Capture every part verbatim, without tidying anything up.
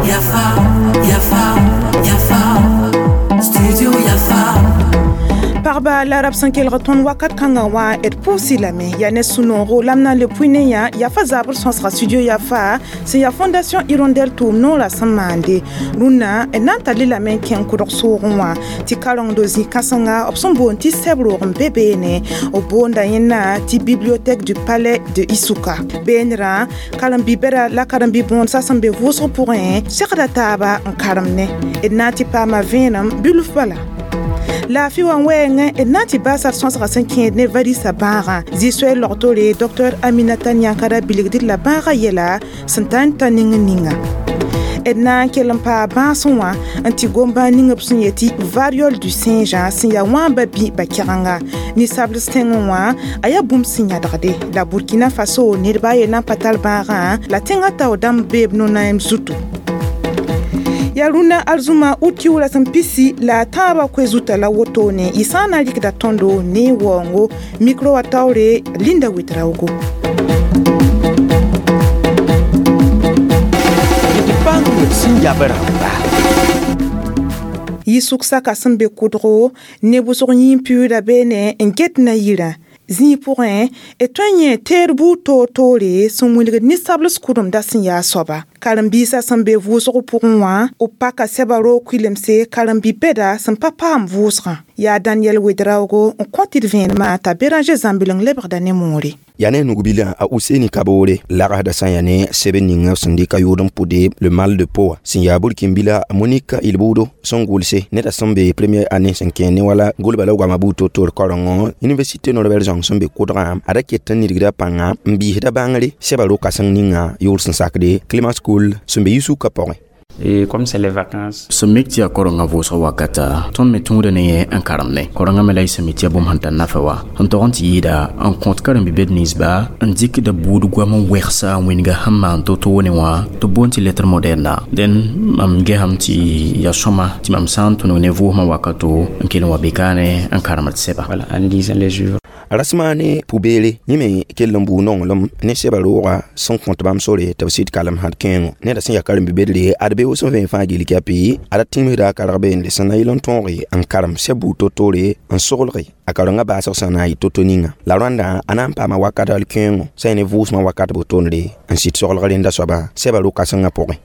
Yafa, Yafa, Yafa, Studio Yafa. Pagba la rab sẽn kelg tõnd wakat kãngã wã d pʋʋs-y lame yaa ne sũ-noogo la m na n le pʋɩ ne yã yafa zabr sõsga studio Yafa sẽn yaa Fondation Hirondelle tʋʋm noorã sẽn maande rũnnã d na n tar-y lame n kẽng kʋdg soogẽ wã tɩ karengdo zĩ-kãsenga b sẽn boond tɩ sɛb roog n be beene b boonda yẽnna tɩ bibliothèque du palais de Issouka beenrã karen-bi-bɛda la karen-bi-bõodsã sẽn be vʋʋsg pʋgẽ segda taaba n karem ne d na n tɩ paama vẽenem bilf bala laafɩ wã wɛɛngẽ d na n tɩ baasa d sõsga sẽn kẽed ne varisa bãagã zĩ-soɛɛ logtore docteur Aminata Niankara bilgd la bãagã yɛla sẽn ta n ta ning ninga d na n kell n paa bãasẽ wã n tɩ gom-bãag ning b sẽn yetɩ variole du singe sẽn yaa wãamba bĩ ba-kɛgenga ninsabls tẽngẽ wã a yaa bũmb sẽn yãdgde la Burkina Faso nedba a ye na n pa tar bãagã la tẽngã tao dãmb beeb no-naem zutu yaa rũnnã arzũma ut kiuura sẽn pisi la a tãabã koe zuta la wotone y sã n na n rɩkda tõndo ne waoongo micro wã taoore Linda Ouedraogo. D bãng d sẽn yab rãmba. Yɩ-sʋk saka sẽn be kʋdgo ne wʋsg yĩn-piuuda beene n get na yirã zĩig pʋgẽ d tõe n yẽ teed buud toor-toore sẽn wilgd ninsabls kʋdemda sẽn yaa soaba karen-biisã sẽn be vʋʋsg pʋgẽ wã b paka sɛba roog kʋɩlemse karen-bi-bɛda sẽn pa paam vʋʋsgã yaa Daniel Ouedraogo n kõ tɩ d vẽenemã t'a Béranger Zãmbileng lebgda ne moore yaa ne nugbilã a Useni Kaboore lagsda sã n yaa ne sɛbd ninga sẽn dɩka yʋʋd n pʋde le mal de peau sẽn yaa burkinbila Monique Ilboudo sẽn gʋlse neda sẽn be première année sẽn kẽ ne wala gʋlba la goama buud to-toor karengo université Norbert Zongo sẽn be kʋdgã a da ket n nidgda pãnga n biisda bãngre sɛba ro-kãseng ninga yʋʋr sẽn sakde Clément School sẽn be Yisuka pʋgẽ. Et comme c'est les vacances, sẽn mik tɩ yaa korengã vʋʋsg wakata tõnd me tũuda ne yẽ n karem ne korengã me la y sẽn mi tɩ yaa bũmb sẽn tar nafa wa n tog n tɩ yɩɩda n kõt karen-bi-bed ninsba n dɩkda buud goam n wegsa n wĩnga sẽn maan to-toone wã tɩ b boond tɩ lettre moderne dẽn mam gesame tɩ yaa sõma tɩ mam sã n tũnug ne vʋʋsmã wakato n kell n wa bekaane n karemd sɛba. Voilà, en lisant les œuvres. Rasma ne pʋbeere yẽ me kell n buu nonglem ne sɛba roogã sẽn kõt bãmb sore tɩ b sɩd kalem sãd kẽengo neda sẽn yaa karen-bi-bedre ad be sẽn vẽen fãa gill kɛpɩ ad tĩmsda a karg beende sẽn na yɩl n tõoge n karem sɛb buud to-toore n soglge a karengã baasg sã na n yɩ to-to ninga la rãndã a na n paama wakat al kẽengo sã ne vʋʋsmã wakat botoonre n sɩd soglg rẽnda soaba sɛba ro-kãsengã pʋgẽ.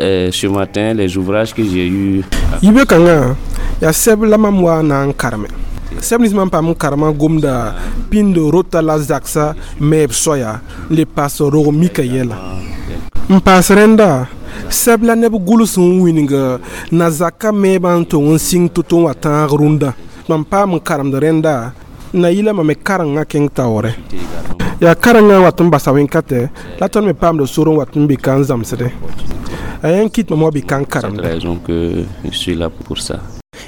Euh, ce matin, les ouvrages que j'ai eus. Yibe kãngã yaa sɛb la mam wa na n kareme sɛb nins mam paam n karemã gomda pĩnd rota la zaksa meeb soaya n le paas rog mika yɛla n paas rẽnda sɛb la neb gʋls n wĩng na zakã meebã n tong n sɩng to-to n wa tãag rũndã mam paam n karemd rẽnda n na yɩla mam me karengã kẽng taoorɛ yaa karengã wat n basa wẽn-kãtɛ la tõnd me paamda sor n wat n be ka n zãmsdẽ a yã n kɩt mam wa be ka n karemda. Raison que je suis là pour ça.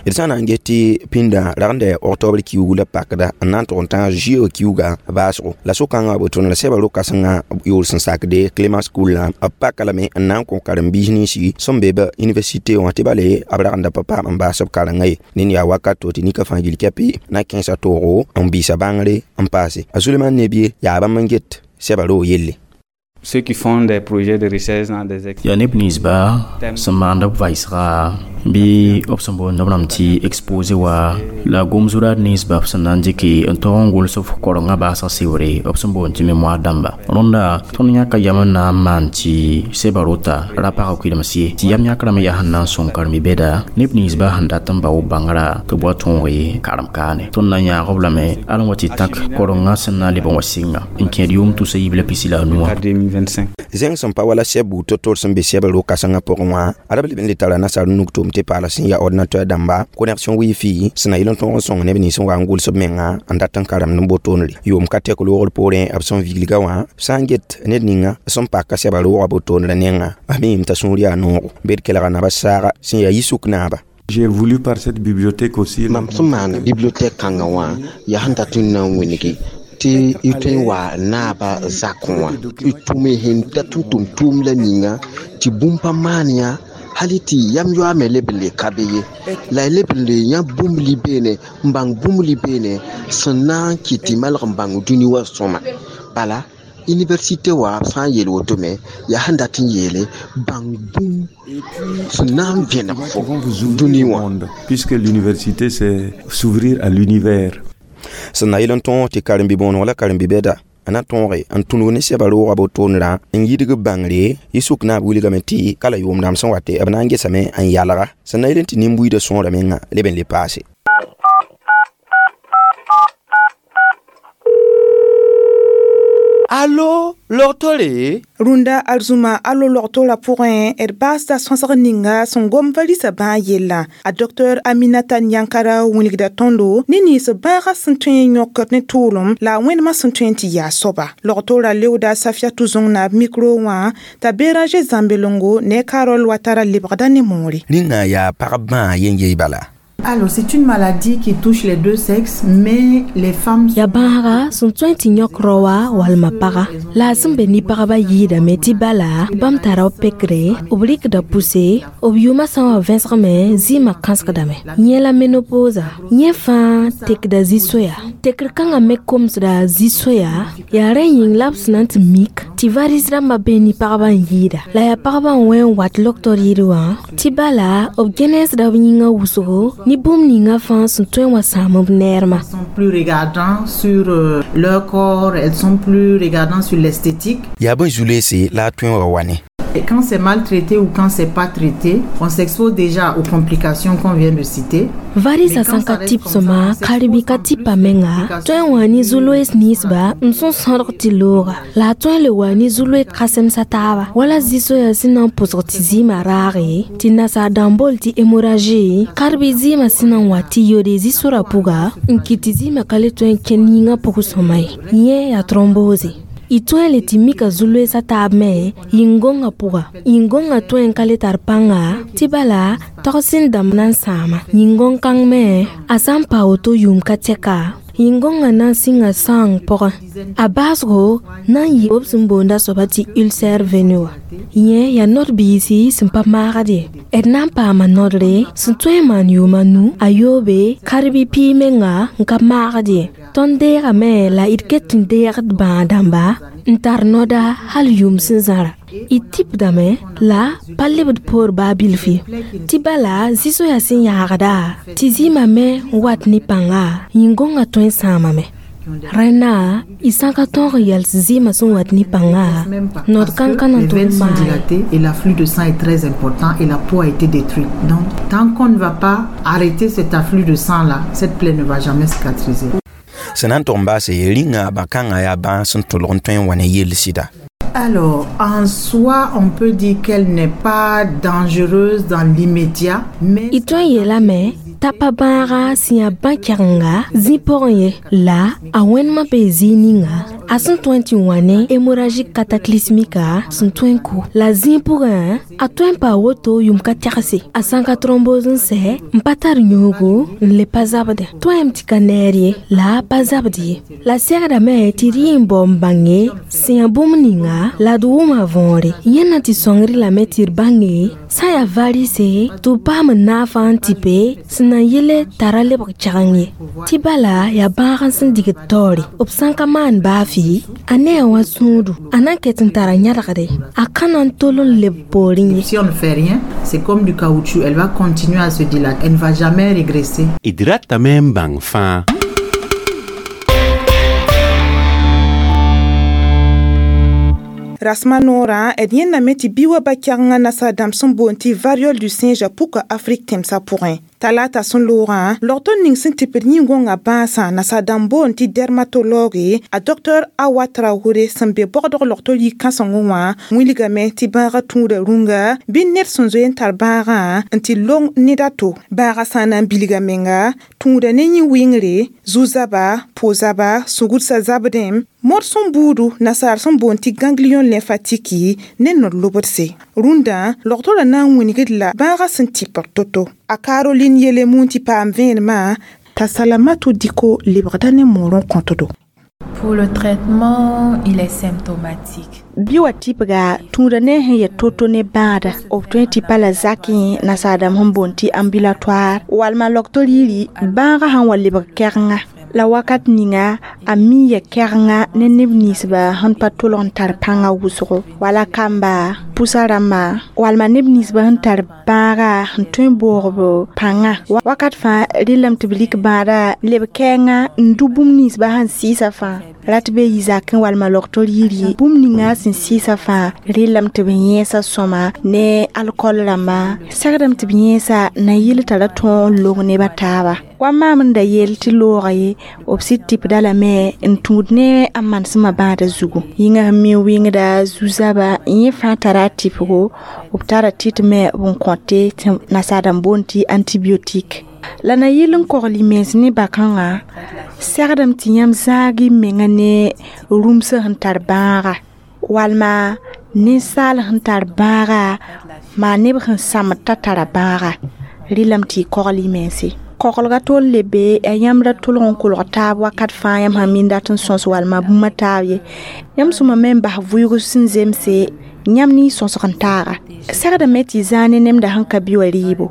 D sã n na n get tɩ pĩndã ragenda octobre kiuug la pakda n na n tʋg n tãag juillet kiuugã baasgo la so-kãngã b tõnd la sɛba ro-kãsengã yʋʋr sẽn sakde Clément School la b paka lame n na n kõ karen-biis ninsi sẽn be b université wã tɩ bale b ragenda pa paam n baas b karengã ye ned yaa wakat to tɩ nika fãa gill kɛpɩ na kẽesa toogo n biisa bãngre n paase a Suleman Nebie yaa bãmb n get sɛba roog yelle. Ceux qui font des projets de recherche dans des yaa neb ninsba sẽn maand b vaɩsga bɩ b sẽn boond b rãmb tɩ exposé wa la gom-zuraad ninsba b sẽn na n dɩke n tog n gʋls f korengã baasg sɩbre b sẽn boond tɩ mémoire dãmba rõnda tõnd yãka yam n na n maan tɩ sɛba rota ra pag kʋɩlems ye tɩ yam yãkrã me yaa sẽn na n sõng karen-bi-bɛda neb ninsba sẽn dat n bao bãngrã tɩ b wa tõoge karem kaane tõnd na n yãag b lame al n wa tɩ tãk korengã sẽn na n leb n wa sɩnga n kẽed yʋʋm tusa yiib la pisi la a nuwã. deux mille vingt-cinq. Zẽng sẽn pa wala sɛb buud to-toor sẽn be sɛb ro-kãsengã pʋgẽ wã ad b leb n le tara nasaar nug tʋʋm tɩ paala sẽn yaa ordinateur dãmba connexion wifi sẽn na yɩl n tõog n sõng neb nins n wa n gʋls b menga n dat n karemd n botoonre yʋʋm ka tɛk loogr poorẽ b sẽn viglga wã sã n get ned ninga sẽn paka sɛba roogã botoonrã nengã a miime t'a sũur yaa noogo bed kelga naba saaga sẽn yaa yi-sʋk naaba. J'ai voulu par cette bibliothèque aussi. Mam sẽn maan bibliothèque kãngã wã yaa sẽn dat n na n wĩngi tɩ y tõe n wa naabã zakẽ wã y tʋme sẽn dat n tʋm tʋʋm la ninga tɩ bũmb pa maan yã hal tɩ yam yoa me leb n le ka be ye la y leb n le yã bũmb li beene n bãng bũmb li beene sẽn na n kɩt tɩ malg n bãng dũni wã sõma bala Université wa b sã n yeel woto me yaa sẽn dat n yeele bãng bũmb sẽn na n vẽneg fo dũni wã. Puisque l'université, c'est s'ouvrir à l'univers. Sẽn na yel n tõog tɩ karen-bi-bõoneg la karen-bi-bɛda n na tõoge n tũnug ne sɛba roogã botoonrã n yidg b bãngre yɩ sʋk naab wilgame tɩ ka la yʋʋm dãmb sẽn wate b na n gesame n yalga sẽn na yel n tɩ nin-buiidã sõora menga leb n le paase. Allo, logtore? Rũndã arzũma alo logtorã pʋgẽ d baasda sõsg ninga sẽn gom valisa bãag yellã a docteur Aminata Nyankara wilgda tõndo ne nins bãagã sẽn tõe n yõkd ne tʋʋlem la a wẽnemã sẽn tõe n tɩ yaa soaba logtorã leooda Safiatou Zõng-naab mikro wã t'a Béranger Zãmbelongo ne Carole Watara lebgda ne moore. Rĩngã yaa pagb bãag yen-yey bala. Alors, c'est une maladie qui touche les deux sexes, mais les femmes... Ya bãaga sẽn tõe tɩ yõk raoa walma paga la a sẽn be ne pagba yɩɩdame tɩ bala bãmb tara b pekre b rɩkda pʋse b yʋʋmã sã n wa vẽsgme zɩɩmã kãsgdame yẽ la menopausa yẽ fãa tekda zĩ-soya tekr kãngã me komsda zĩ-soya yaa rẽ yĩng la b sẽn na n tɩ mik tɩ varis rãmbã bee ne pagba n yɩɩda la yaa pagba n wẽ n wat loktor yir wã tɩ bala b gẽnesda b yĩngã wʋsgo ni bũmb ninga fãa sẽn tõe n wa sãam b neermã. Elles sont plus regardants sur euh, leur corps, elles sont plus regardants sur l'esthétique. Yaa bõe zu-loeese la a tõe n wa wa ne. Et quand c'est maltraité ou quand c'est pas traité, on s'expose déjà aux complications qu'on vient de citer. Varisa sẽn ka tɩp sõma karen-bi ka tɩpa menga tõe n wa ne zu-loees ninsba n sẽn sõdg tɩ looga la a tõe n le wa ne zu-loe kãsemsa taaba wala zĩ-soya sẽn na n pʋsg tɩ zɩɩmã raage tɩ nasaar dãmb bool tɩ hémorragie kar-bi zɩɩmã sẽn na n wa tɩ yode zĩ-sorã pʋga n kɩt tɩ zɩɩmã ka le tõe n kẽnd yĩngã pʋg sõma ye yẽ yaa thrombose. Y tõe n le tɩ mika zu-loeesã taab me yĩn-gõngã pʋga yĩn-gõngã tõe n ka le tar pãnga tɩ bala tog sẽn dãmb na n sãama yĩn-gõng-kãng me a sã n pa woto yʋʋm ka tɛka yĩn-gõngã na n sɩnga sãang pʋgẽ a baasgo na n yɩ b sẽn boonda soaba tɩ ulcère veineux wã yẽ yaa nod-biisi sẽn pa maagd ye d na n paama nodre sẽn tõe n maan yʋʋma nu a yoobe kar-bi pii menga n ka maagd ye tõnd deegame la d ket n deegd bãag-dãmba n tar noda hal yʋʋm sẽn zãra y tɩpdame la pa lebd poor baa bilf ye tɩ bala zĩ-soya sẽn yaagda tɩ zɩɩmã me n wat ne pãnga yĩn-gõngã tõe n sãamame rẽnna y sã ka tõog n yals zɩɩmã sẽn wat ne pãnga nod kãn-kã na Les tʋg veines sont n maag dilatées et l'afflux de sang est très important et la peau a été détruite. Donc, tant qu'on ne va pas arrêter cet afflux de sang-là, cette plaie ne va jamais cicatriser. Sẽn na n tʋg n baase rĩngã bã-kãngã yaa bãag sẽn tʋlg n tõe n wa ne yell sɩda. Alors, en soi, on peut dire qu'elle n'est pas dangereuse dans l'immédiat, mais y tõe n yeelame t'a pa bãaga sẽn yaa bã-kɛgenga zĩ pʋgẽ ye la a wẽnemã bee zĩig ninga a sẽn tõe n tɩ wã ne hémorragie cataclysmique sẽn tõe n kʋ la zĩig pʋgẽ a tõe n paa woto yʋm ka tɛgse a sã n ka thrombose n sɛ n pa tar yõogo n le pa zabde tõem tɩ ka neer ye la a pa zabd ye la segdame tɩ d yɩ n bao n bãnge sẽn yaa bũmb ninga la d wʋma võore yẽnna tɩ sõngr lame tɩ d bãnge sã n yaa varise tɩ b paam n naafã n tɩpe sẽn na n yele tara lebg kɛgeng ye tɩ bala yaa bãag n sẽn digd taoore b sã n ka maan baa fɩ a ne a wã sũudu a na n ket n tara yãdgde a ka na n tol n leb poorẽ ye. Si on ne fait rien, c'est comme du caoutchouc, elle va continuer à se dilater, elle ne va jamais régresser. D ratame n bãng fãa. Rasma noorã d yẽndame tɩ bi wa ba-kɛgengã nasaar dãmb sẽn boond tɩ variole du singe puka Afrik tẽmsã pʋgẽ talata sẽn loogã logtor ning sẽn tɩpd yĩn-gõngã bãasã nasaar dãmb boond tɩ dermatologue a docteur Awa Traoré sẽn be bɔgdg logtor yik-kãsengẽ wã wilgame tɩ bãagã tũuda rũnga bɩ ned sẽn zoe n tar bãagã n tɩ long ned a to bãagã sã n na n bilga menga tũuda ne yĩ-wɩngre zu-zaba po-zaba sugdsa zabdẽ mod sẽn buudu nasaar sẽn boond tɩ ganglion lymphatique ne nod-lobdse rũndã logtorã na n wilgd la bãagã sẽn tɩpd to-to a Caroline yele mun tɩ paam vẽenemã t'a Salamatu Diko lebgda ne moor n kõtdo. Pour le traitement, il est symptomatique. Bi wa tɩpga tũuda ne sẽn yet to-to ne bãada b tõe tɩ pa la zakẽ nasaar dãmb sẽn boond tɩ ambulatoire walma logtor yiri bãagã sãn wa lebg kɛgenga La wakat ninga a mi ya kɛgenga ne neb ninsba sẽn pa tʋlg n tar pãngã wʋsgo wala kamba pʋsa rãmba walma neb ninsba sẽn tar bãaga n tõe n boog b pãnga wakat fãa rɩlame tɩ b lik bãada leb kɛɛngã n dʋ bũmb ninsba sẽn sɩɩsa fãa rat be yi zakẽ walma logtor yir ye bũmb ninga sẽn sɩɩsa fãa rɩlame tɩ b yẽesa sõma ne alkol rãmba segdame tɩ b yẽesa na yɩl t'a ra tõog n long neba taaba wa maam n da yeel tɩ looga ye b sɩd tɩpda lame n tũud ne a manesmã bãada zugu yĩngã sẽn mi wɩngda zu-zaba yẽ fãa tara a tɩpgo b tara tɩt me b n kõte tɩ nasaad n boond tɩ antibiotique la na yɩl n kogl y mens ne bakãngã segdame tɩ yãmb zãag y menga ne rũmsã sẽn tar bãaga walma ninsaal sẽn tar bãaga maa neb sẽn sãmd t'a tara bãaga rɩlame tɩ y kogl y mense koglga tol le be a yãmb ra tʋlg n kolg taab wakat fãa yãmb sãn min dat n sõs walma bũmb taab ye yãmb sõma me n bas vʋʋg sẽn zemse yãmb ne y sõsg n taaga segdame tɩ y zãag ne nemda sẽn ka bi wa rɩɩbo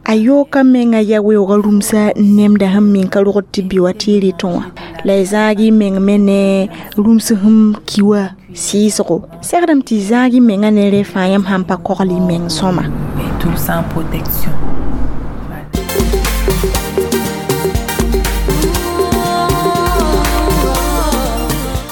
a yooka menga yaa weoogã rũmsa nemda sẽn min ka rogd tɩ bi wa tɩ y rɩtẽ wã la y zãag y meng me ne rũms sẽn ki wã sɩɩsgo segdame tɩ y zãag y menga ne rẽ fãa yãmb sãn pa kogl y meng sõma. Et tout sans protection.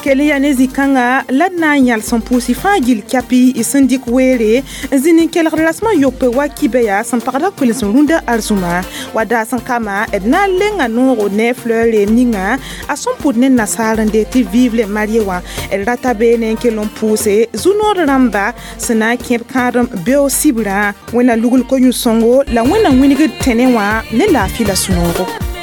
Kell yaa ne zĩ-kãnga la d na n yãls n pʋʋs y fãa gill kɛpɩ y sẽn dɩk weere n zĩ nin-kelgd rasmã yopoe wa kibã yaa sẽn pagda koels n rũndã arzũma wa daas n kama d na n lenga noogo ne fleur reem ninga a sẽn pʋd ne nasaar n dee tɩ vive le marié wã d rata beene n kell n pʋʋse zu-nood rãmba sẽn na n kẽb kãadem beoog sibrã wẽnna lugl ko-yũ-sõngo la wẽnna wĩnigd tẽne wã ne laafɩ la sũ-noogo.